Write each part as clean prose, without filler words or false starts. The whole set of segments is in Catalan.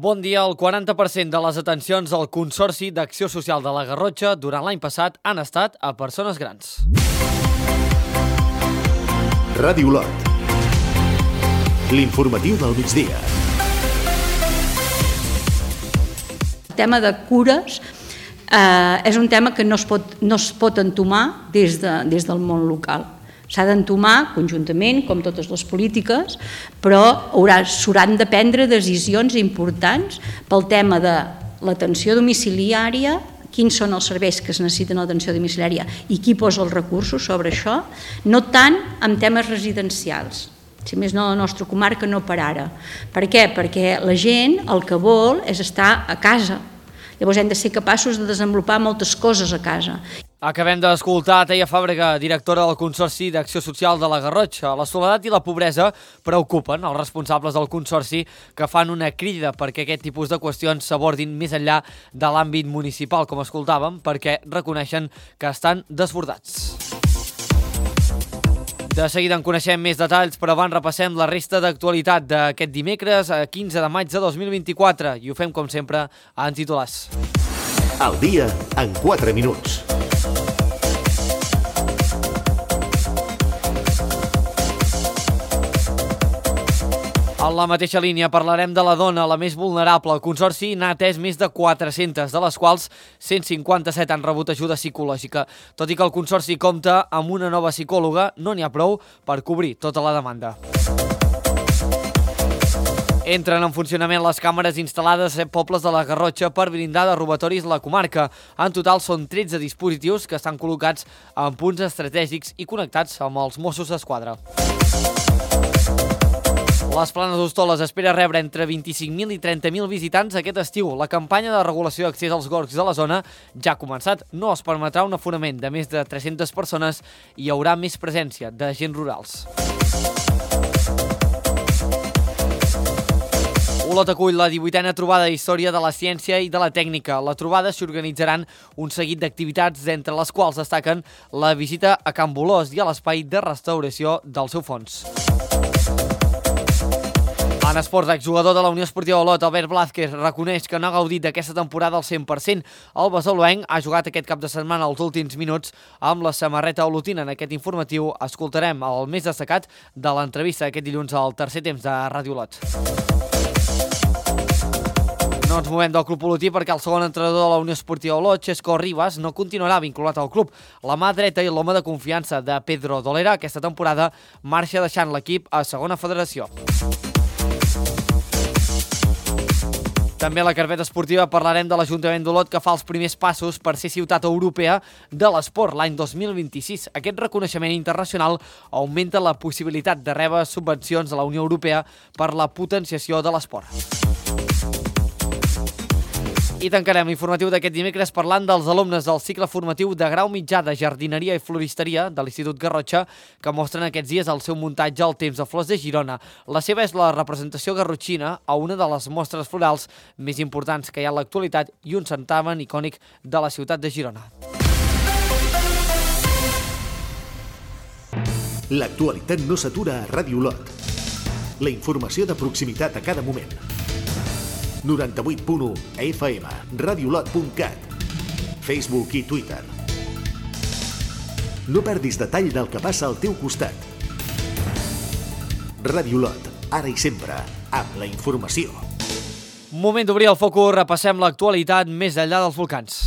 Bon dia. El 40% de les atencions al Consorci d'Acció Social de la Garrotxa durant l'any passat han estat a persones grans. Ràdio Lot. L'informatiu del migdia. El tema de cures és un tema que no es pot entomar des del món local. S'ha d'entomar conjuntament, com totes les polítiques, però s'hauran de prendre decisions importants pel tema de l'atenció domiciliària, quins són els serveis que es necessiten a l'atenció domiciliària i qui posa els recursos sobre això, no tant en temes residencials. Si més no, la nostra comarca no per ara. Per què? Perquè la gent el que vol és estar a casa. Llavors hem de ser capaços de desenvolupar moltes coses a casa. Acabem d'escoltar Teia Fàbrega, directora del Consorci d'Acció Social de la Garrotxa. La soledat i la pobresa preocupen els responsables del Consorci, que fan una crida perquè aquest tipus de qüestions s'abordin més enllà de l'àmbit municipal, com escoltàvem, perquè reconeixen que estan desbordats. De seguida en coneixem més detalls, però abans repassem la resta d'actualitat d'aquest dimecres, 15 de maig de 2024, i ho fem, com sempre, en titulars. Al dia, en 4 minuts. En la mateixa línia parlarem de la dona, la més vulnerable. El Consorci n'ha atès més de 400, de les quals 157 han rebut ajuda psicològica. Tot i que el Consorci compta amb una nova psicòloga, no n'hi ha prou per cobrir tota la demanda. Entren en funcionament les càmeres instal·lades a 7 pobles de la Garrotxa per blindar de robatoris la comarca. En total són 13 dispositius que estan col·locats en punts estratègics i connectats amb els Mossos d'Esquadra. Les Planes d'Hostoles espera rebre entre 25.000 i 30.000 visitants aquest estiu. La campanya de regulació d'accés als gorgs de la zona ja ha començat. No es permetrà un aforament de més de 300 persones i hi haurà més presència d'agents rurals. Olot acull la 18a trobada d'Història de la Ciència i de la Tècnica. A la trobada s'hi organitzaran un seguit d'activitats, entre les quals destaquen la visita a Can Bolós i a l'espai de restauració del seu fons. En esports, exjugador de la Unió Esportiva Olot, Albert Blázquez, reconeix que no ha gaudit d'aquesta temporada al 100%. El basaloenc ha jugat aquest cap de setmana els últims minuts amb la samarreta olotina. En aquest informatiu escoltarem el més destacat de l'entrevista aquest dilluns al tercer temps de Ràdio Olot. No ens movem del club olotí perquè el segon entrenador de la Unió Esportiva Olot, Xesco Ribas, no continuarà vinculat al club. La mà dreta i l'home de confiança de Pedro Dolera aquesta temporada marxa deixant l'equip a segona federació. També a la carpeta esportiva parlarem de l'Ajuntament d'Olot, que fa els primers passos per ser ciutat europea de l'esport l'any 2026. Aquest reconeixement internacional augmenta la possibilitat de rebre subvencions de la Unió Europea per la potenciació de l'esport. I tancarem l'informatiu d'aquest dimecres parlant dels alumnes del cicle formatiu de grau mitjà de jardineria i floristeria de l'Institut Garrotxa, que mostren aquests dies el seu muntatge al Temps de Flors de Girona. La seva és la representació garrotxina a una de les mostres florals més importants que hi ha a l'actualitat i un certamen icònic de la ciutat de Girona. L'actualitat no s'atura a Ràdio Lot. La informació de proximitat a cada moment. 98.1 FM, radiolot.cat, Facebook i Twitter. No perdis detall del que passa al teu costat. Ràdio Lot, ara i sempre, amb la informació. Moment d'obrir el focus, repassem l'actualitat més enllà dels volcans.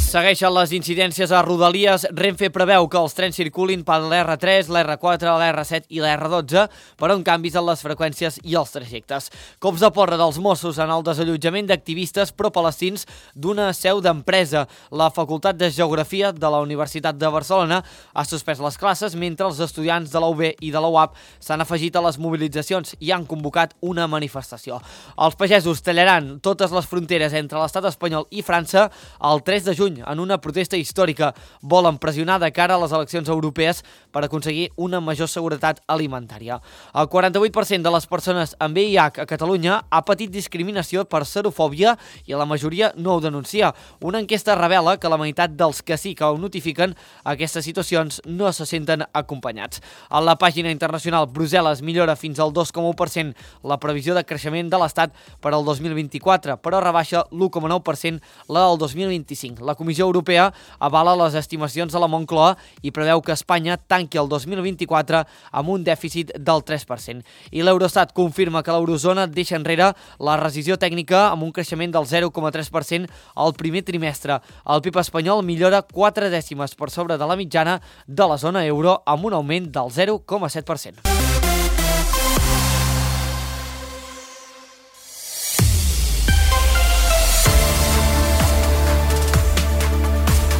Segueixen les incidències a Rodalies. Renfe preveu que els trens circulin per l'R3, l'R4, l'R7 i l'R12, però amb canvis en les freqüències i els trajectes. Cops de porra dels Mossos en el desallotjament d'activistes pro-palestins d'una seu d'empresa. La Facultat de Geografia de la Universitat de Barcelona ha suspès les classes mentre els estudiants de la UB i de la UAP s'han afegit a les mobilitzacions i han convocat una manifestació. Els pagesos tallaran totes les fronteres entre l'estat espanyol i França el 3 de juny. juny en una protesta històrica. Volen pressionar de cara a les eleccions europees per aconseguir una major seguretat alimentària. El 48% de les persones amb VIH a Catalunya ha patit discriminació per serofòbia i la majoria no ho denuncia. Una enquesta revela que la meitat dels que sí que ho notifiquen aquestes situacions no se senten acompanyats. A la pàgina internacional, Brussel·les millora fins al 2,1% la previsió de creixement de l'Estat per al 2024, però rebaixa l'1,9% la del 2025. La Comissió Europea avala les estimacions de la Moncloa i preveu que Espanya tanqui el 2024 amb un dèficit del 3%. I l'Eurostat confirma que l'eurozona deixa enrere la rescissió tècnica amb un creixement del 0,3% al primer trimestre. El PIB espanyol millora 4 dècimes per sobre de la mitjana de la zona euro amb un augment del 0,7%.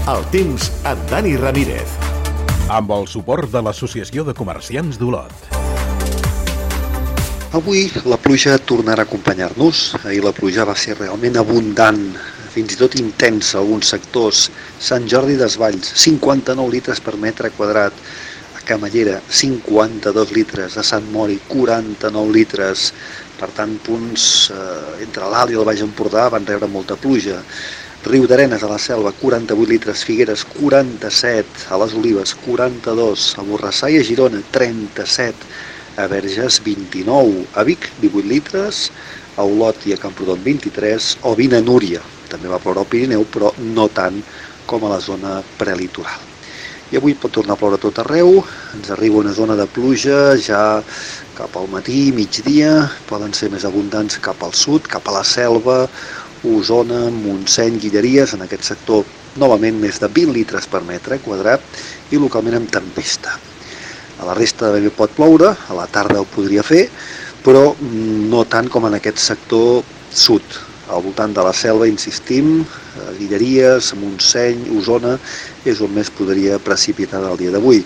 El temps amb Dani Ramírez. Amb el suport de l'Associació de Comerciants d'Olot. Avui la pluja tornarà a acompanyar-nos. Ahir la pluja va ser realment abundant, fins i tot intensa a alguns sectors. Sant Jordi Desvalls, 59 litres per metre quadrat. A Camallera, 52 litres. A Sant Mori, 49 litres. Per tant, punts entre l'Alt i el Baix Empordà van rebre molta pluja. Riudarenes, a la Selva, 48 litres. Figueres, 47. A les Olives, 42. A Borrassà i a Girona, 37. A Verges, 29. A Vic, 18 litres. A Olot i a Camprodon, 23. O 20 a Núria. També va ploure al Pirineu, però no tant com a la zona prelitoral. I avui pot tornar a ploure a tot arreu. Ens arriba una zona de pluja ja cap al matí, migdia. Poden ser més abundants cap al sud, cap a la Selva, Osona, Montseny, Guilleries. En aquest sector, novament, més de 20 litres per metre quadrat i localment amb tempesta. A la resta també pot ploure, a la tarda ho podria fer, però no tant com en aquest sector sud. Al voltant de la Selva, insistim, Guilleries, Montseny, Osona, és on més podria precipitar el dia d'avui.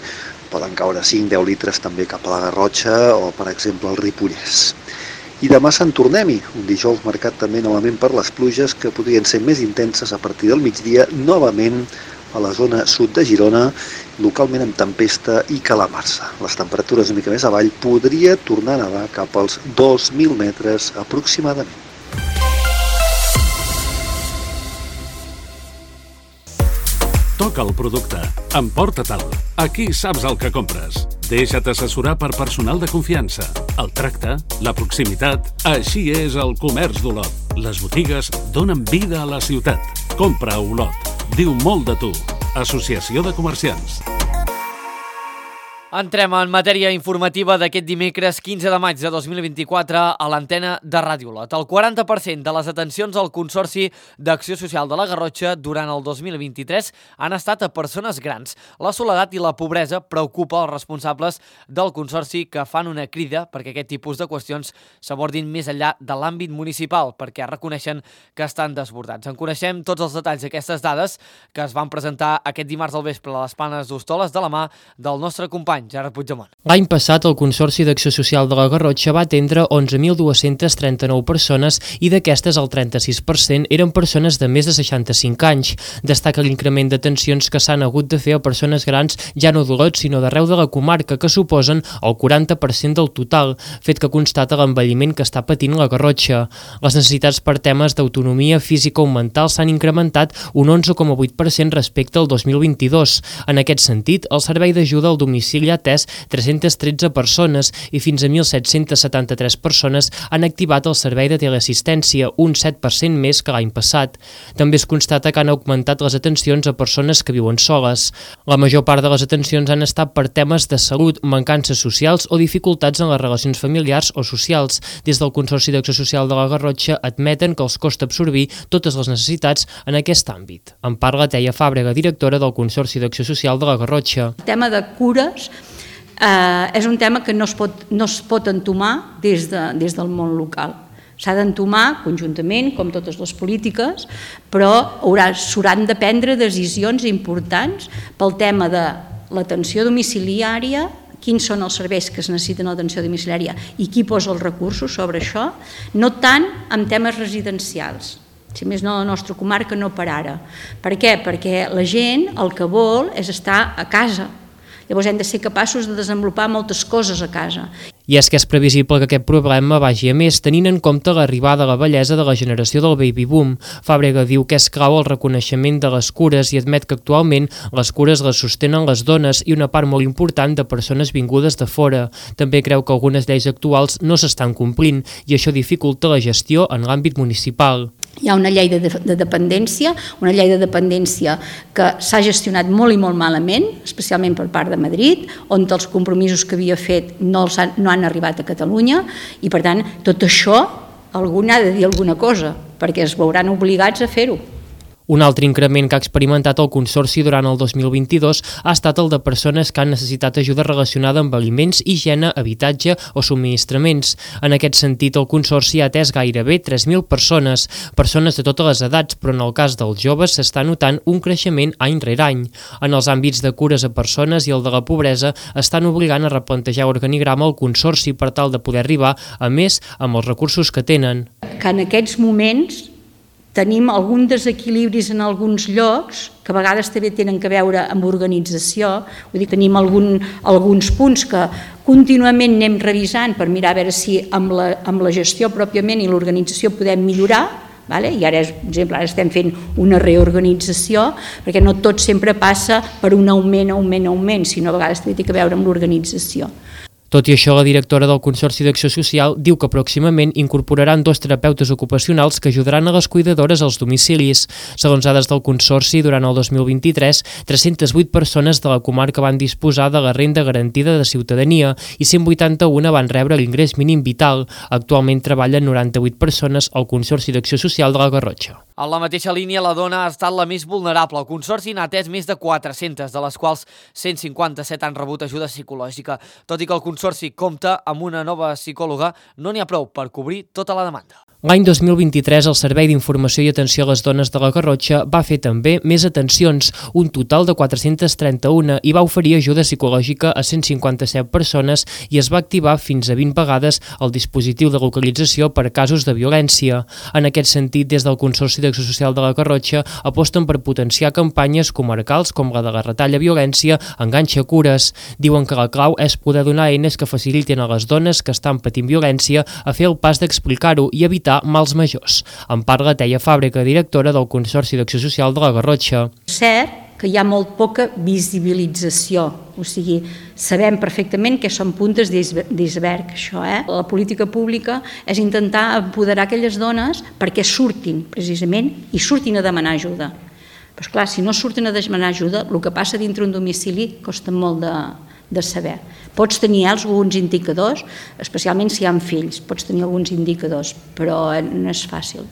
Poden caure 5-10 litres també cap a la Garrotxa o, per exemple, al Ripollès. I demà Sant Tornem-hi, un dijous marcat també novament per les pluges que podrien ser més intenses a partir del migdia, novament a la zona sud de Girona, localment amb tempesta i calamarsa. Les temperatures una mica més avall podria tornar a nedar cap als 2.000 metres aproximadament. Toca el producte. Emporta-te'l. Aquí saps el que compres. Deixa't assessorar per personal de confiança. El tracte, la proximitat... Així és el comerç d'Olot. Les botigues donen vida a la ciutat. Compra a Olot. Diu molt de tu. Associació de Comerciants. Entrem en matèria informativa d'aquest dimecres 15 de maig de 2024 a l'antena de Ràdio Olot. El 40% de les atencions al Consorci d'Acció Social de la Garrotxa durant el 2023 han estat a persones grans. La soledat i la pobresa preocupa els responsables del Consorci, que fan una crida perquè aquest tipus de qüestions s'abordin més enllà de l'àmbit municipal, perquè reconeixen que estan desbordats. En coneixem tots els detalls d'aquestes dades que es van presentar aquest dimarts al vespre a les Planes d'Hostoles de la mà del nostre company Gerard Puigdemont. L'any passat, el Consorci d'Acció Social de la Garrotxa va atendre 11.239 persones i d'aquestes el 36% eren persones de més de 65 anys. Destaca l'increment d'atencions que s'han hagut de fer a persones grans ja no d'Olot, sinó d'arreu de la comarca, que suposen el 40% del total, fet que constata l'envelliment que està patint la Garrotxa. Les necessitats per temes d'autonomia física o mental s'han incrementat un 11,8% respecte al 2022. En aquest sentit, el servei d'ajuda al domicili ha atès 313 persones i fins a 1.773 persones han activat el servei de teleassistència, un 7% més que l'any passat. També es constata que han augmentat les atencions a persones que viuen soles. La major part de les atencions han estat per temes de salut, mancances socials o dificultats en les relacions familiars o socials. Des del Consorci d'Acció Social de la Garrotxa admeten que els costa absorbir totes les necessitats en aquest àmbit. En parla Teia Fàbrega, directora del Consorci d'Acció Social de la Garrotxa. El tema de cures és un tema que no es pot entomar des del món local. S'ha d'entomar conjuntament, com totes les polítiques, però s'hauran de prendre decisions importants pel tema de l'atenció domiciliària, quins són els serveis que es necessiten a l'atenció domiciliària i qui posa els recursos sobre això, no tant en temes residencials. si més no la nostra comarca, no per ara. Per què? Perquè la gent el que vol és estar a casa. Llavors hem de ser capaços de desenvolupar moltes coses a casa. I és que és previsible que aquest problema vagi a més, tenint en compte l'arribada a la vellesa de la generació del baby boom. Fàbrega diu que és clau el reconeixement de les cures i admet que actualment les cures les sostenen les dones i una part molt important de persones vingudes de fora. També creu que algunes lleis actuals no s'estan complint i això dificulta la gestió en l'àmbit municipal. Hi ha una llei de dependència, que s'ha gestionat molt i molt malament, especialment per part de Madrid, on els compromisos que havia fet no han arribat a Catalunya i, per tant, tot això algú n'ha de dir alguna cosa, perquè es veuran obligats a fer-ho. Un altre increment que ha experimentat el Consorci durant el 2022 ha estat el de persones que han necessitat ajuda relacionada amb aliments, higiene, habitatge o subministraments. En aquest sentit, el Consorci ha atès gairebé 3.000 persones de totes les edats, però en el cas dels joves s'està notant un creixement any rere any. En els àmbits de cures a persones i el de la pobresa estan obligant a replantejar l'organigrama al Consorci per tal de poder arribar a més amb els recursos que tenen. Que en aquests moments tenim alguns desequilibris en alguns llocs que a vegades també tenen a veure amb organització. Vull dir, tenim alguns punts que contínuament anem revisant per mirar a veure si amb la gestió pròpiament i l'organització podem millorar. I ara, per exemple, estem fent una reorganització perquè no tot sempre passa per un augment, sinó a vegades també té a veure amb l'organització. Tot i això, la directora del Consorci d'Acció Social diu que pròximament incorporaran 2 terapeutes ocupacionals que ajudaran a les cuidadores als domicilis. Segons dades del Consorci, durant el 2023, 308 persones de la comarca van disposar de la renda garantida de ciutadania i 181 van rebre l'ingrés mínim vital. Actualment treballen 98 persones al Consorci d'Acció Social de la Garrotxa. En la mateixa línia, la dona ha estat la més vulnerable. El Consorci n'ha atès més de 400, de les quals 157 han rebut ajuda psicològica. Tot i que el Consorci compta amb una nova psicòloga, no n'hi ha prou per cobrir tota la demanda. L'any 2023, el Servei d'Informació i Atenció a les Dones de la Garrotxa va fer també més atencions, un total de 431, i va oferir ajuda psicològica a 157 persones i es va activar fins a 20 vegades el dispositiu de localització per casos de violència. En aquest sentit, des del Consorci d'Acció Social de la Garrotxa aposten per potenciar campanyes comarcals com la de la Retalla Violència, Enganxa Cures. Diuen que la clau és poder donar eines que facilitin a les dones que estan patint violència a fer el pas d'explicar-ho i evitar mals majors. En parla Teia Fàbrega, directora del Consorci d'Acció Social de la Garrotxa. Cert que hi ha molt poca visibilització, o sigui, sabem perfectament que són puntes d'iceberg, això. La política pública és intentar empoderar aquelles dones perquè surtin, precisament, i surtin a demanar ajuda. Però, esclar, si no surten a demanar ajuda, el que passa dintre un domicili costa molt de saber. Pots tenir alguns indicadors, especialment si hi ha fills, pots tenir alguns indicadors, però no és fàcil.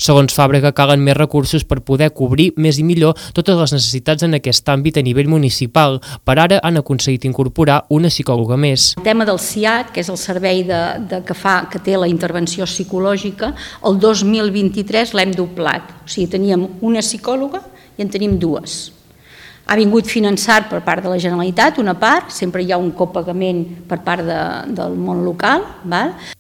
Segons Fàbrega, calen més recursos per poder cobrir més i millor totes les necessitats en aquest àmbit a nivell municipal. Per ara han aconseguit incorporar una psicòloga més. El tema del CIAT, que és el servei que té la intervenció psicològica, el 2023 l'hem doblat. O sigui, teníem una psicòloga i en tenim 2. Ha vingut finançat per part de la Generalitat, una part, sempre hi ha un copagament per part del món local.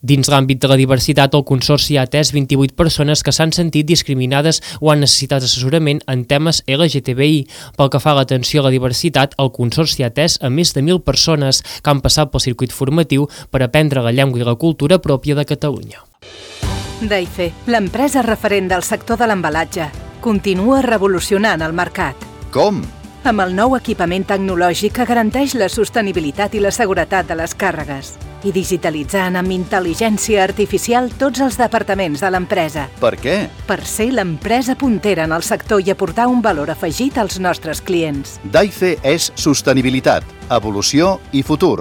Dins l'àmbit de la diversitat, el Consorci ha atès 28 persones que s'han sentit discriminades o han necessitat assessorament en temes LGTBI. Pel que fa a l'atenció a la diversitat, el Consorci ha atès a més de 1.000 persones que han passat pel circuit formatiu per aprendre la llengua i la cultura pròpia de Catalunya. Daife, l'empresa referent del sector de l'embalatge, continua revolucionant el mercat. Com? Amb el nou equipament tecnològic que garanteix la sostenibilitat i la seguretat de les càrregues i digitalitzant amb intel·ligència artificial tots els departaments de l'empresa. Per què? Per ser l'empresa puntera en el sector i aportar un valor afegit als nostres clients. Daife és sostenibilitat, evolució i futur.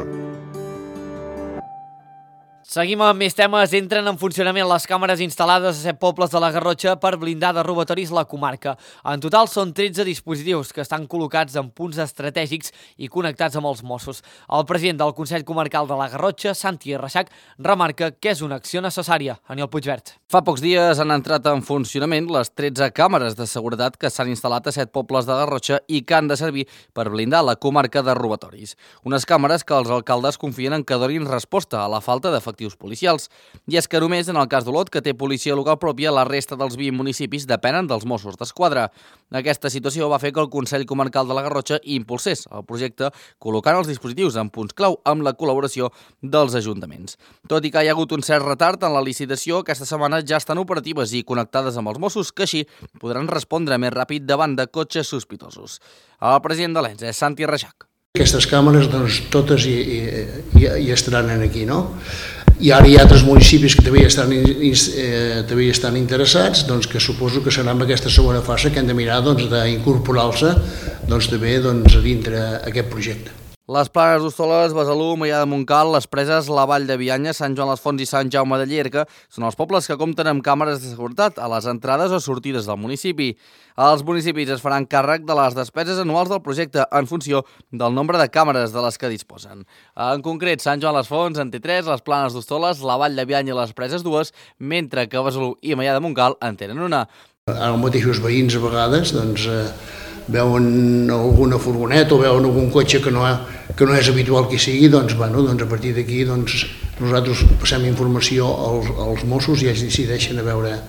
Seguim amb més temes. Entren en funcionament les càmeres instal·lades a 7 pobles de la Garrotxa per blindar de robatoris la comarca. En total són 13 dispositius que estan col·locats en punts estratègics i connectats amb els Mossos. El president del Consell Comarcal de la Garrotxa, Santi Reixac, remarca que és una acció necessària. Aniol Puigvert. Fa pocs dies han entrat en funcionament les 13 càmeres de seguretat que s'han instal·lat a 7 pobles de Garrotxa i que han de servir per blindar la comarca de robatoris. Unes càmeres que els alcaldes confien en que donin resposta a la falta d'efectius efectius policials. I és que només en el cas d'Olot, que té policia local pròpia, la resta dels 20 municipis depenen dels Mossos d'Esquadra. Aquesta situació va fer que el Consell Comarcal de la Garrotxa impulsés el projecte col·locant els dispositius en punts clau amb la col·laboració dels ajuntaments. Tot i que hi ha hagut un cert retard en la licitació, aquesta setmana ja estan operatives i connectades amb els Mossos, que així podran respondre més ràpid davant de cotxes sospitosos. El president de l'ENS és Santi Reixac. Aquestes càmeres, doncs, totes hi estaran aquí, no? I ara hi ha altres municipis que també hi estan interessats, doncs, que suposo que serà en aquesta segona fase que hem de mirar d'incorporar-se també a dintre aquest projecte. Les Planes d'Hostoles, Besalú, Maià de Montcal, les Preses, la Vall de Bianya, Sant Joan les Fonts i Sant Jaume de Llierca són els pobles que compten amb càmeres de seguretat a les entrades o sortides del municipi. Els municipis es faran càrrec de les despeses anuals del projecte en funció del nombre de càmeres de les que disposen. En concret, Sant Joan les Fonts en té 3, les Planes d'Hostoles, la Vall de Bianya i les Preses 2, mentre que Besalú i Maià de Montcal en tenen una. Els mateixos veïns a vegades veuen alguna furgoneta o veuen algun cotxe que no és habitual que sigui, a partir d'aquí nosaltres passem informació als Mossos i ells decideixen a veure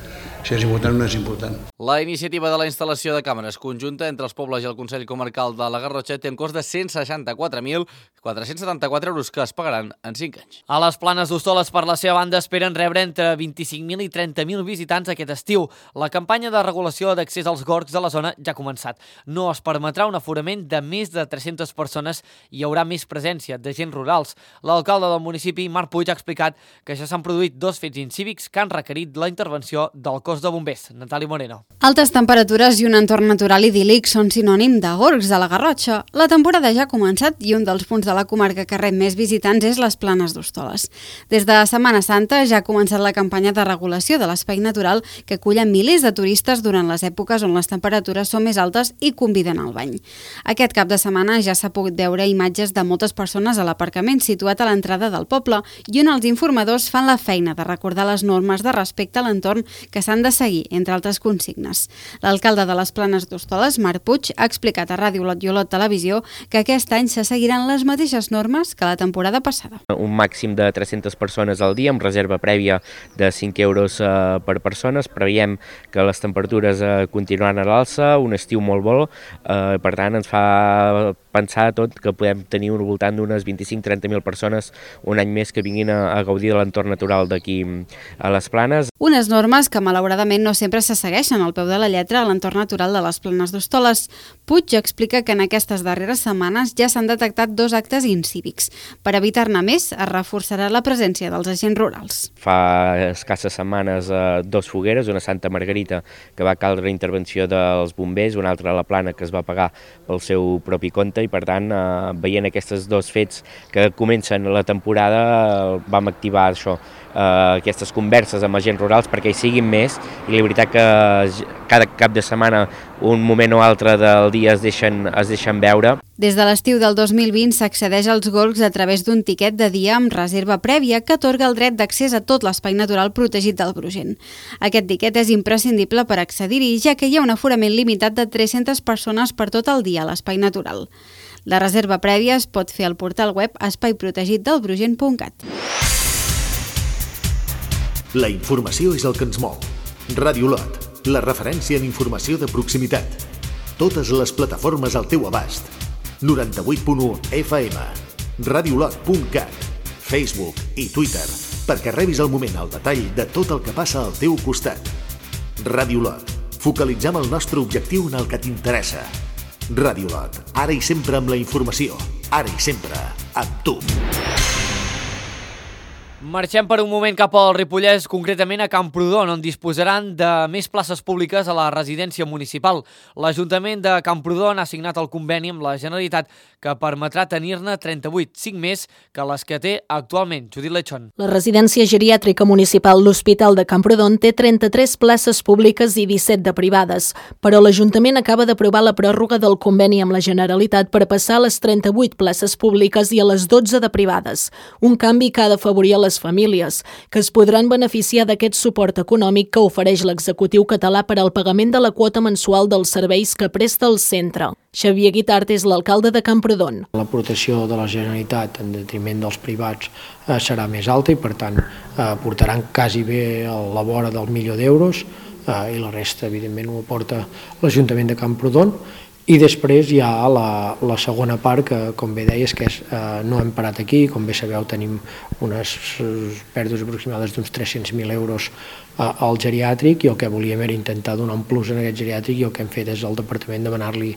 si és important o no és important. La iniciativa de la instal·lació de càmeres conjunta entre els pobles i el Consell Comarcal de la Garrotxa té un cost de 164.474 euros que es pagaran en 5 anys. A les Planes d'Hostoles, per la seva banda, esperen rebre entre 25.000 i 30.000 visitants aquest estiu. La campanya de regulació d'accés als gorgs de la zona ja ha començat. No es permetrà un aforament de més de 300 persones i hi haurà més presència de agents rurals. L'alcalde del municipi, Marc Puig, ha explicat que ja s'han produït 2 fets incívics que han requerit la intervenció del cos de bombers. Natàlia Moreno. Altes temperatures i un entorn natural idíl·lic són sinònim de gorgs de la Garrotxa. La temporada ja ha començat i un dels punts de la comarca que rep més visitants és les Planes d'Hostoles. Des de Setmana Santa ja ha començat la campanya de regulació de l'espai natural que acull milers de turistes durant les èpoques on les temperatures són més altes i conviden al bany. Aquest cap de setmana ja s'ha pogut veure imatges de moltes persones a l'aparcament situat a l'entrada del poble i on els informadors fan la feina de recordar les normes de respecte a l'entorn que s'han de seguir, entre altres consignes. L'alcalde de les Planes d'Hostoles, Marc Puig, ha explicat a Ràdio Olot i Olot Televisió que aquest any se seguiran les mateixes normes que la temporada passada. Un màxim de 300 persones al dia amb reserva prèvia de 5 euros per persones. Preveiem que les temperatures continuaran a l'alça, un estiu molt bo, per tant ens fa pensar tot que podem tenir al voltant d'unes 25-30.000 persones un any més que vinguin a gaudir de l'entorn natural d'aquí a les Planes. Unes normes que malauradament no sempre se segueixen al peu de la lletra a l'entorn natural de les Planes d'Hostoles. Puig explica que en aquestes darreres setmanes ja s'han detectat 2 actes incívics. Per evitar-ne més, es reforçarà la presència dels agents rurals. Fa escasses setmanes 2 fogueres, una a Santa Margarita, que va caldre intervenció dels bombers, una altra a la Plana, que es va pagar pel seu propi compte, i per tant, veient aquests 2 fets que comencen la temporada, vam activar això, aquestes converses amb agents rurals perquè hi siguin més, i la veritat que cada cap de setmana un moment o altre del dia es deixen veure. Des de l'estiu del 2020 s'accedeix als gorgs a través d'un tiquet de dia amb reserva prèvia que atorga el dret d'accés a tot l'espai natural protegit del Brugent. Aquest tiquet és imprescindible per accedir-hi, ja que hi ha un aforament limitat de 300 persones per tot el dia a l'espai natural. La reserva prèvia es pot fer al portal web espaiprotegitdelbrugent.cat. La informació és el que ens mou. Ràdio Olot, la referència en informació de proximitat. Totes les plataformes al teu abast. 98.1 FM, radiolot.cat, Facebook i Twitter, perquè rebis al moment al detall de tot el que passa al teu costat. Ràdio Olot, focalitzem el nostre objectiu en el que t'interessa. Ràdio Olot, ara i sempre amb la informació, ara i sempre amb tu. Marxem per un moment cap al Ripollès, concretament a Camprodon, on disposaran de més places públiques a la residència municipal. L'Ajuntament de Camprodon ha signat el conveni amb la Generalitat que permetrà tenir-ne 38, 5 més que les que té actualment. Judit Lechón. La residència geriàtrica municipal L'Hospital de Camprodon té 33 places públiques i 17 de privades, però l'Ajuntament acaba d'aprovar la pròrroga del conveni amb la Generalitat per passar a les 38 places públiques i a les 12 de privades, un canvi que ha d'afavorir a les les famílies, que es podran beneficiar d'aquest suport econòmic que ofereix l'executiu català per al pagament de la quota mensual dels serveis que presta el centre. Xavier Guitart és l'alcalde de Camprodon. L'aportació de la Generalitat en detriment dels privats serà més alta i, per tant, portaran quasi bé a la vora del €1.000.000 i la resta, evidentment, ho aporta l'Ajuntament de Camprodon. I després hi ha la segona part, que, com bé deies, que no hem parat aquí. Com bé sabeu, tenim unes pèrdues aproximades d'uns 300.000 euros al geriàtric, i el que volíem era intentar donar un plus en aquest geriàtric, i el que hem fet és al departament demanar-li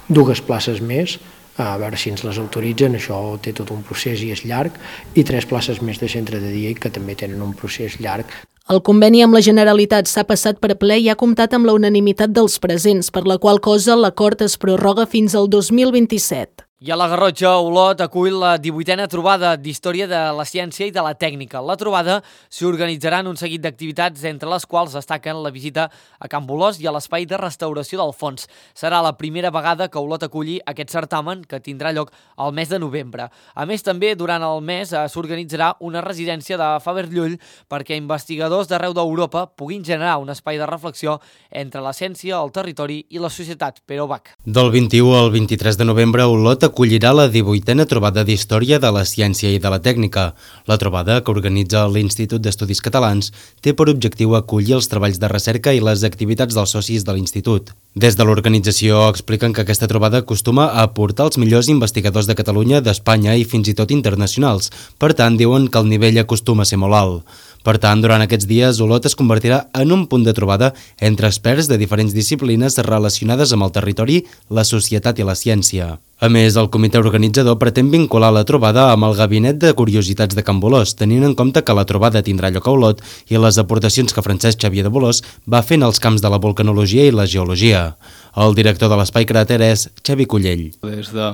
2 places més, a veure si ens les autoritzen. Això té tot un procés i és llarg, i 3 places més de centre de dia, que també tenen un procés llarg. El conveni amb la Generalitat s'ha passat per ple i ha comptat amb la unanimitat dels presents, per la qual cosa l'acord es prorroga fins al 2027. I a la Garrotxa, Olot acull la 18a trobada d'Història de la Ciència i de la Tècnica. La trobada s'hi organitzaran un seguit d'activitats, entre les quals destaquen la visita a Can Bolòs i a l'Espai de Restauració del Fons. Serà la primera vegada que Olot aculli aquest certamen, que tindrà lloc al mes de novembre. A més, també durant el mes s'organitzarà una residència de Faber Llull perquè investigadors d'arreu d'Europa puguin generar un espai de reflexió entre la ciència, el territori i la societat. Pere Bach. Del 21 al 23 de novembre, Olot acollirà la 18a trobada d'Història de la Ciència i de la Tècnica. La trobada, que organitza l'Institut d'Estudis Catalans, té per objectiu acollir els treballs de recerca i les activitats dels socis de l'Institut. Des de l'organització expliquen que aquesta trobada acostuma a aportar els millors investigadors de Catalunya, d'Espanya i fins i tot internacionals. Per tant, diuen que el nivell acostuma a ser molt alt. Per tant, durant aquests dies, Olot es convertirà en un punt de trobada entre experts de diferents disciplines relacionades amb el territori, la societat i la ciència. A més, el comitè organitzador pretén vincular la trobada amb el Gabinet de Curiositats de Can Bolòs, tenint en compte que la trobada tindrà lloc a Olot i les aportacions que Francesc Xavier de Bolòs va fent als camps de la vulcanologia i la geologia. El director de l'Espai Cràter és Xavi Cullell. Des de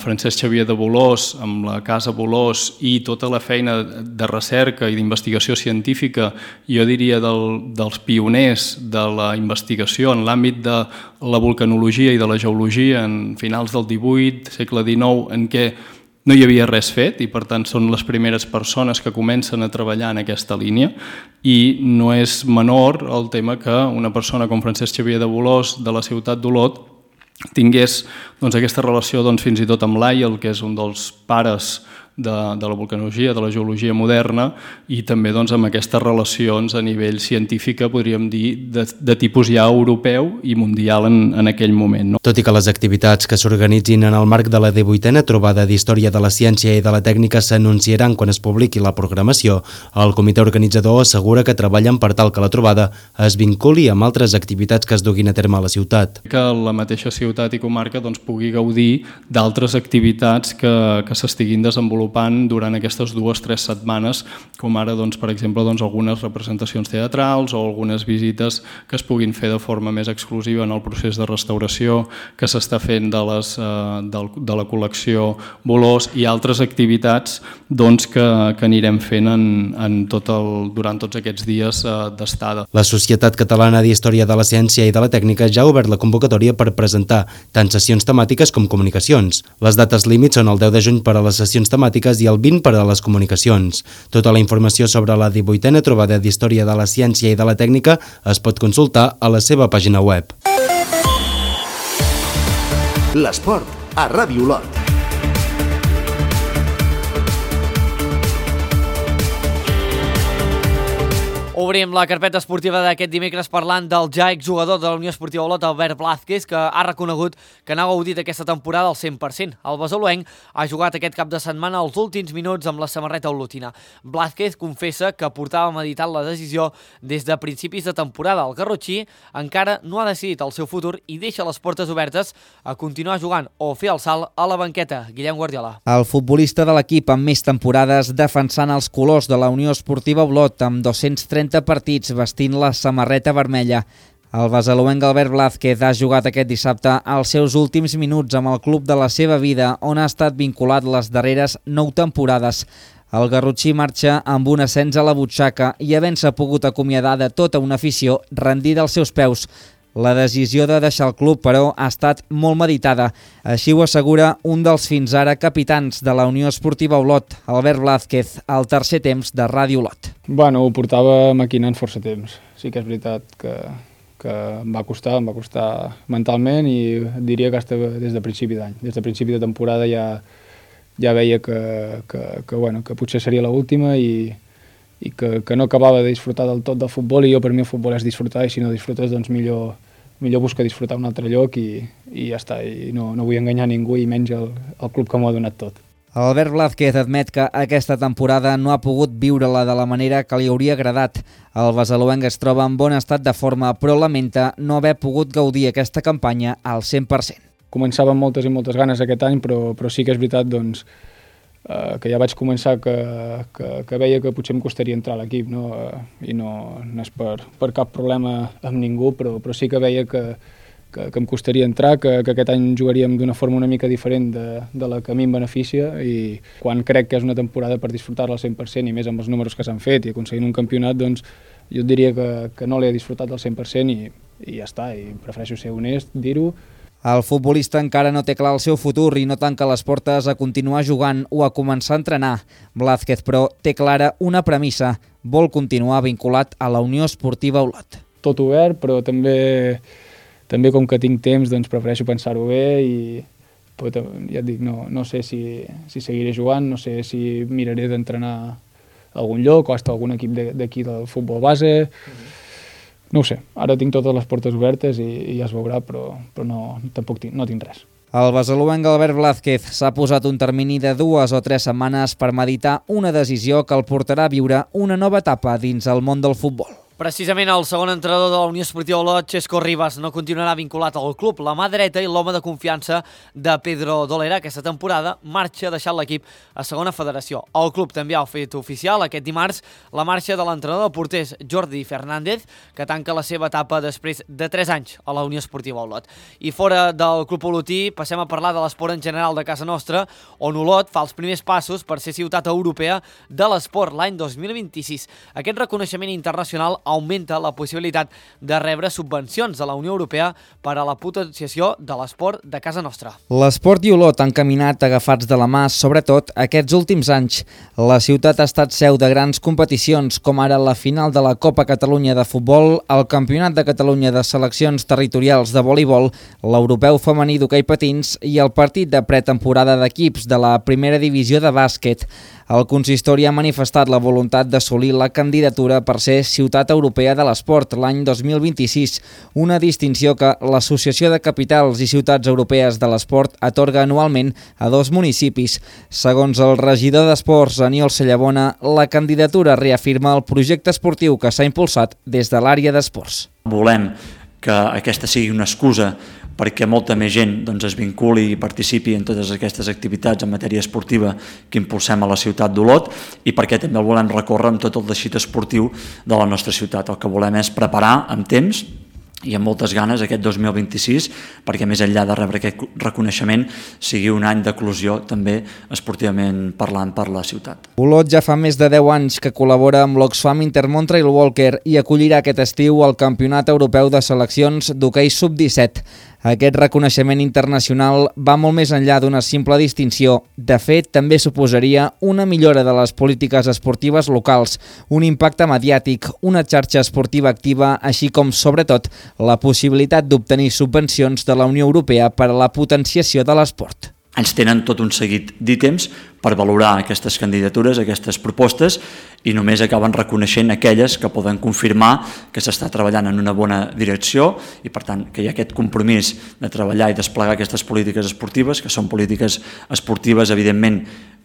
Francesc Xavier de Bolòs, amb la Casa Bolòs i tota la feina de recerca i d'investigació científica, jo diria dels pioners de la investigació en l'àmbit de la vulcanologia i de la geologia en finals del 18, segle XIX, en què no hi havia res fet i per tant són les primeres persones que comencen a treballar en aquesta línia, i no és menor el tema que una persona com Francesc Xavier de Bolòs de la ciutat d'Olot tingués aquesta relació fins i tot amb l'Aiel, que és un dels pares de la vulcanologia, de la geologia moderna, i també amb aquestes relacions a nivell científic, podríem dir, de tipus ja europeu i mundial en aquell moment. Tot i que les activitats que s'organitzin en el marc de la 18a trobada d'Història de la Ciència i de la Tècnica s'anunciaran quan es publiqui la programació, el comitè organitzador assegura que treballen per tal que la trobada es vinculi amb altres activitats que es duguin a terme a la ciutat. Que la mateixa ciutat i comarca pugui gaudir d'altres activitats que s'estiguin desenvolupant durant aquestes 2 o 3 setmanes, com ara, per exemple, algunes representacions teatrals o algunes visites que es puguin fer de forma més exclusiva en el procés de restauració que s'està fent de la col·lecció Bolòs, i altres activitats que anirem fent durant tots aquests dies d'estada. La Societat Catalana d'Història de la Ciència i de la Tècnica ja ha obert la convocatòria per presentar tant sessions temàtiques com comunicacions. Les dates límits són el 10 de juny per a les sessions temàtiques i el 20 per a les comunicacions. Tota la informació sobre la 18a trobada d'Història de la Ciència i de la Tècnica es pot consultar a la seva pàgina web. L'esport a Ràdio Olot. Obrim la carpeta esportiva d'aquest dimecres parlant del ja exjugador de la Unió Esportiva Olot, Albert Blázquez, que ha reconegut que n'ha gaudit aquesta temporada al 100%. El basoluenc ha jugat aquest cap de setmana els últims minuts amb la samarreta olotina. Blázquez confessa que portava meditant la decisió des de principis de temporada. El garrotxí encara no ha decidit el seu futur i deixa les portes obertes a continuar jugant o fer el salt a la banqueta. Guillem Guardiola. El futbolista de l'equip amb més temporades defensant els colors de la Unió Esportiva Olot amb 230 partits vestint la samarreta vermella. El basaloenc Albert Blázquez ha jugat aquest dissabte els seus últims minuts amb el club de la seva vida, on ha estat vinculat les darreres 9 temporades. El garrotxí marxa amb un ascens a la butxaca i havent-se pogut acomiadar de tota una afició rendida als seus peus. La decisió de deixar el club, però, ha estat molt meditada. Així ho assegura un dels fins ara capitans de la Unió Esportiva Olot, Albert Blázquez, al tercer temps de Ràdio Olot. Bueno, ho portava maquinant força temps. Sí que és veritat que em va costar mentalment, i diria que estava des de principi d'any. Des de principi de temporada ja veia que potser seria l'última i que no acabava de disfrutar del tot del futbol, i jo, per mi, el futbol és disfrutar, i si no disfrutes, doncs millor buscar disfrutar un altre lloc i ja està, i no vull enganyar ningú, i menys el club que m'ho ha donat tot. Albert Blázquez admet que aquesta temporada no ha pogut viure-la de la manera que li hauria agradat. El besalúenc es troba en bon estat de forma, però lamenta no haver pogut gaudir aquesta campanya al 100%. Començava amb moltes i moltes ganes aquest any, però sí que és veritat doncs, que ja vaig començar que veia que potser em costaria entrar a l'equip, no? I no és per cap problema amb ningú, però sí que veia que em costaria entrar, que aquest any jugaríem d'una forma una mica diferent de la que a mi em beneficia, i quan crec que és una temporada per disfrutar-la al 100%, i més amb els números que s'han fet i aconseguint un campionat, doncs jo et diria que no l'he disfrutat al 100% i ja està, i prefereixo ser honest, dir-ho. El futbolista encara no té clar el seu futur i no tanca les portes a continuar jugant o a començar a entrenar. Blázquez, però, té clara una premissa: vol continuar vinculat a la Unió Esportiva Olot. Tot obert, però també com que tinc temps, doncs prefereixo pensar-ho bé, i ja et dic, no sé si seguiré jugant, no sé si miraré d'entrenar a algun lloc o hasta algun equip d'aquí del futbol base. No ho sé, ara tinc totes les portes obertes i ja es veurà, però tampoc no tinc res. El besalúenc Albert Blázquez s'ha posat un termini de 2 o 3 setmanes per meditar una decisió que el portarà a viure una nova etapa dins el món del futbol. Precisament el segon entrenador de la Unió Esportiva Olot, Xesco Ribas, no continuarà vinculat al club. La mà dreta i l'home de confiança de Pedro Dolera aquesta temporada marxa deixant l'equip a segona federació. El club també ha fet oficial aquest dimarts la marxa de l'entrenador de porters Jordi Fernández, que tanca la seva etapa després de 3 anys a la Unió Esportiva Olot. I fora del club olotí passem a parlar de l'esport en general de casa nostra, on Olot fa els primers passos per ser ciutat europea de l'esport l'any 2026. Aquest reconeixement internacional augmenta la possibilitat de rebre subvencions de la Unió Europea per a la potenciació de l'esport de casa nostra. L'esport i Olot han caminat agafats de la mà, sobretot aquests últims anys. La ciutat ha estat seu de grans competicions, com ara la final de la Copa Catalunya de futbol, el Campionat de Catalunya de seleccions territorials de voleibol, l'Europeu femení d'hoquei patins i el partit de pretemporada d'equips de la primera divisió de bàsquet. El consistori ha manifestat la voluntat d'assolir la candidatura per ser ciutat europea de l'esport l'any 2026, una distinció que l'Associació de Capitals i Ciutats Europees de l'Esport atorga anualment a 2 municipis. Segons el regidor d'Esports, Aniol Cellabona, la candidatura reafirma el projecte esportiu que s'ha impulsat des de l'àrea d'esports. Volem que aquesta sigui una excusa perquè molta més gent es vinculi i participi en totes aquestes activitats en matèria esportiva que impulsem a la ciutat d'Olot, i perquè també el volem recórrer amb tot el teixit esportiu de la nostra ciutat. El que volem és preparar amb temps i amb moltes ganes aquest 2026, perquè més enllà de rebre aquest reconeixement sigui un any d'eclosió també esportivament parlant per la ciutat. Olot ja fa més de 10 anys que col·labora amb l'Oxfam Intermont Trail Walker i acollirà aquest estiu el Campionat Europeu de Seleccions d'Hoquei Sub-17. Aquest reconeixement internacional va molt més enllà d'una simple distinció. De fet, també suposaria una millora de les polítiques esportives locals, un impacte mediàtic, una xarxa esportiva activa, així com, sobretot, la possibilitat d'obtenir subvencions de la Unió Europea per a la potenciació de l'esport. Ens tenen tot un seguit d'ítems per valorar aquestes candidatures, aquestes propostes, i només acaben reconeixent aquelles que poden confirmar que s'està treballant en una bona direcció i, per tant, que hi ha aquest compromís de treballar i desplegar aquestes polítiques esportives, que són polítiques esportives, evidentment,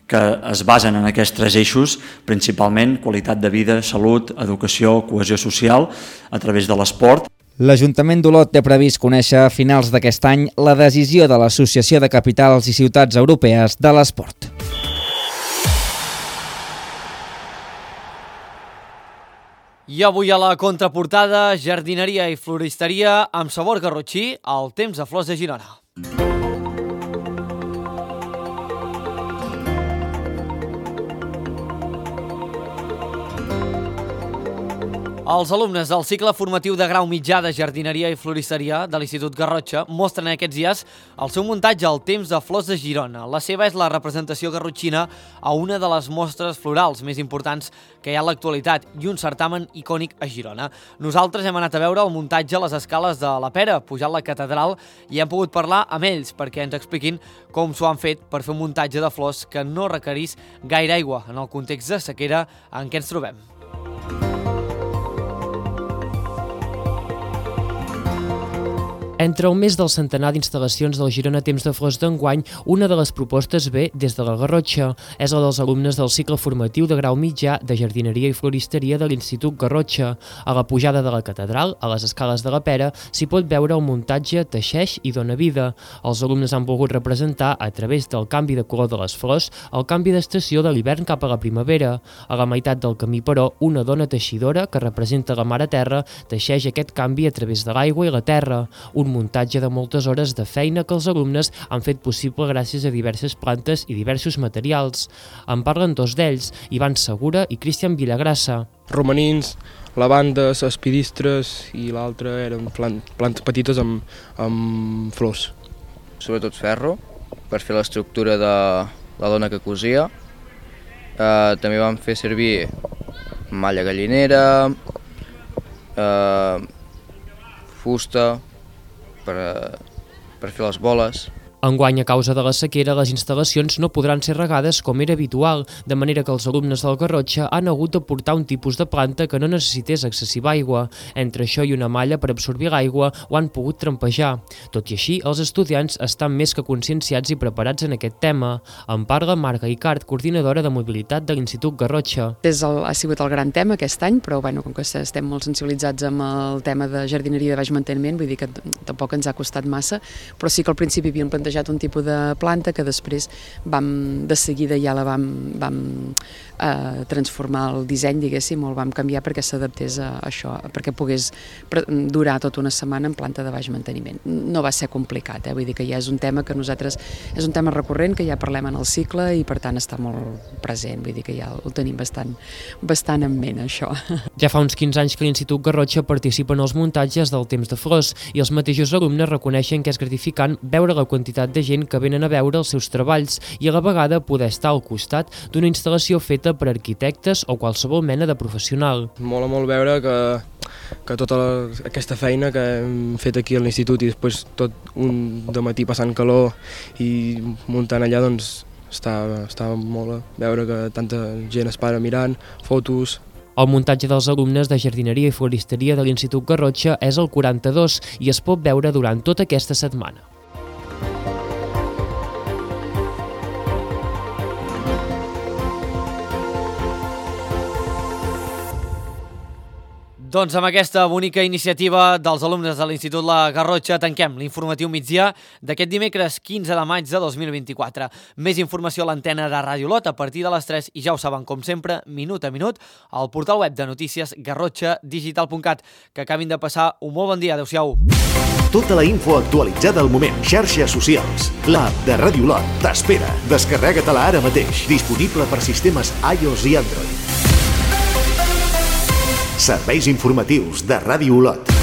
que es basen en aquests 3 eixos, principalment qualitat de vida, salut, educació, cohesió social, a través de l'esport. L'Ajuntament d'Olot té previst conèixer a finals d'aquest any la decisió de l'Associació de Capitals i Ciutats Europees de l'Esport. I avui a la contraportada, jardineria i floristeria amb sabor garrotxí al temps de flors de Girona. Els alumnes del cicle formatiu de grau mitjà de jardineria i floristeria de l'Institut Garrotxa mostren aquests dies el seu muntatge al Temps de Flors de Girona. La seva és la representació garrotxina a una de les mostres florals més importants que hi ha a l'actualitat i un certamen icònic a Girona. Nosaltres hem anat a veure el muntatge a les escales de la Pera, pujant la catedral, i hem pogut parlar amb ells perquè ens expliquin com s'ho han fet per fer un muntatge de flors que no requerís gaire aigua en el context de sequera en què ens trobem. Entre el mes del centenar d'instal·lacions del Girona Temps de Flors d'enguany, una de les propostes ve des de la Garrotxa. És la dels alumnes del cicle formatiu de grau mitjà de jardineria i floristeria de l'Institut Garrotxa. A la pujada de la catedral, a les escales de la Pera, s'hi pot veure el muntatge Teixeix i dona vida. Els alumnes han volgut representar, a través del canvi de color de les flors, el canvi d'estació de l'hivern cap a la primavera. A la meitat del camí, però, una dona teixidora, que representa la Mare Terra, teixeix aquest canvi a través de l'aigua i la terra. Un muntatge de moltes hores de feina que els alumnes han fet possible gràcies a diverses plantes i diversos materials. En parlen dos d'ells, Ivan Segura i Cristian Villagrassa. Romanins, lavandes, espidistres i l'altre eren plantes petites amb flors. Sobretot ferro, per fer l'estructura de la dona que cosia. També vam fer servir malla gallinera, fusta, per fer les boles. Enguany, a causa de la sequera, les instal·lacions no podran ser regades com era habitual, de manera que els alumnes del Garrotxa han hagut de portar un tipus de planta que no necessités excessiva aigua. Entre això i una malla per absorbir l'aigua ho han pogut trampejar. Tot i així, els estudiants estan més que conscienciats i preparats en aquest tema. En parla Marga Icart, coordinadora de mobilitat de l'Institut Garrotxa. Ha sigut el gran tema aquest any, però com que estem molt sensibilitzats amb el tema de jardineria de baix manteniment, vull dir que tampoc ens ha costat massa, però sí que al principi havíem plantejat un tipus de planta que després de seguida ja la vam transformar el disseny, diguéssim, o el vam canviar perquè s'adaptés a això, perquè pogués durar tota una setmana en planta de baix manteniment. No va ser complicat, vull dir que ja és un tema que nosaltres, és un tema recurrent, que ja parlem en el cicle i per tant està molt present, vull dir que ja el tenim bastant en ment, això. Ja fa uns 15 anys que l'Institut Garrotxa participa en els muntatges del Temps de Flors i els mateixos alumnes reconeixen que és gratificant veure la quantitat de gent que venen a veure els seus treballs i a la vegada poder estar al costat d'una instal·lació feta per arquitectes o qualsevol mena de professional. Mola molt veure que tota aquesta feina que hem fet aquí a l'institut i després tot un dematí passant calor i muntant allà, doncs està molt veure que tanta gent es para mirant, fotos. El muntatge dels alumnes de jardineria i floristeria de l'Institut Garrotxa és el 42 i es pot veure durant tota aquesta setmana. Doncs amb aquesta bonica iniciativa dels alumnes de l'Institut La Garrotxa tanquem l'informatiu migdia d'aquest dimecres 15 de maig de 2024. Més informació a l'antena de Ràdio Lot a partir de les 3 i ja ho saben, com sempre, minut a minut, al portal web de notícies garrotxadigital.cat. Que acabin de passar un molt bon dia. Adéu-siau. Tota la info actualitzada al moment. Xarxes socials. L'app de Ràdio Lot t'espera. Descarrega-te-la ara mateix. Disponible per sistemes iOS i Android. Serveis informatius de Ràdio Lot.